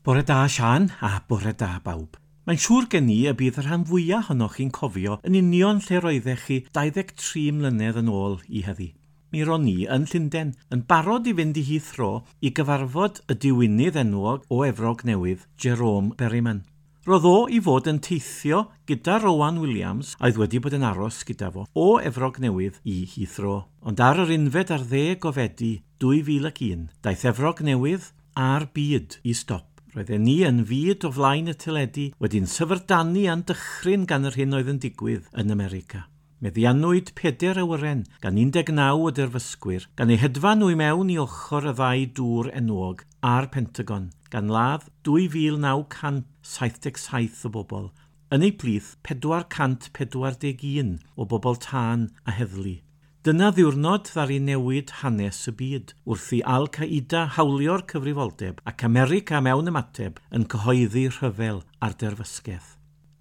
Bore da, Sian, a bore da bawb. Mae'n siŵr gen i y bydd y rhan fwyaf ohonoch chi'n cofio yn union lle roeddech chi 23 mlynedd yn ôl i heddi. Mi ro'n i yn Llundain, yn barod i fynd i Heathrow i gyfarfod y diwinydd enwog o Efrog Newydd, Jerome Berryman. Roedd o i fod yn teithio gyda Rowan Williams, a oedd wedi bod yn aros gyda fo, o Efrog Newydd i Heathrow. Ond ar yr 11 o Fedi 2001, daeth Efrog Newydd a'r byd i stop. Roedden ni yn fud o flaen y teledu wedi'n syfrdanu a'n dychryn gan yr hyn oedd yn digwydd yn America. Meddiannwyd 4 awyren gan 19 o derfysgwyr, gan eu hedfan nhw i mewn i ochr y ddau dŵr enwog a'r Pentagon, gan ladd 2,977 o bobl, yn eu plith 441 o bobl tân a heddlu. Dyna ddiwrnod ddaru newid hanes y byd, wrth i Al-Qaida hawlio'r cyfrifoldeb ac America mewn ymateb yn cyhoeddi rhyfel ar derfysgaeth.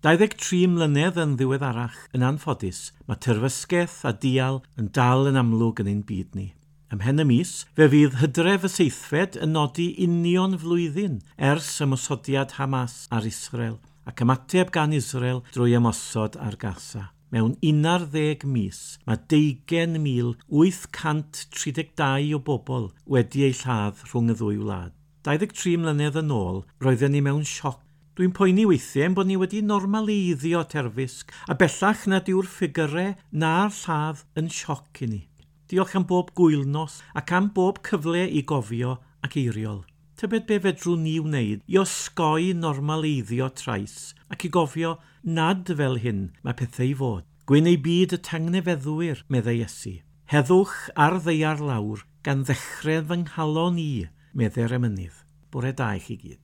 23 mlynedd yn ddiweddarach, yn anffodus, mae terfysgaeth a dial yn dal yn amlwg yn ein byd ni. Ymhen y mis, fe fydd Hydref y 7fed yn nodi union flwyddyn ers ymosodiad Hamas ar Israel ac ymateb gan Israel drwy ymosod ar Gaza. Mewn 11 mis, mae 20,832 o bobl wedi eu lladd rhwng y ddwy wlad. 23 mlynedd yn ôl, roedden ni mewn sioc. Dwi'n poeni weithiau ein bod ni wedi normaleiddio terfysg, a bellach nad yw'r ffigyrau na'r lladd yn sioc i ni. Diolch am bob gwylnos ac am bob cyfle i gofio ac eiriol. Tybed be fedrwn ni wneud i osgoi normaleiddio trais ac i gofio nad fel hyn mae pethau i fod. Gwyn ei byd y tangnefeddwyr, meddai Iesu. Heddwch ar ddaear lawr gan ddechrau fy nghalon i, meddai'r emynydd. Bore da i chi gyd.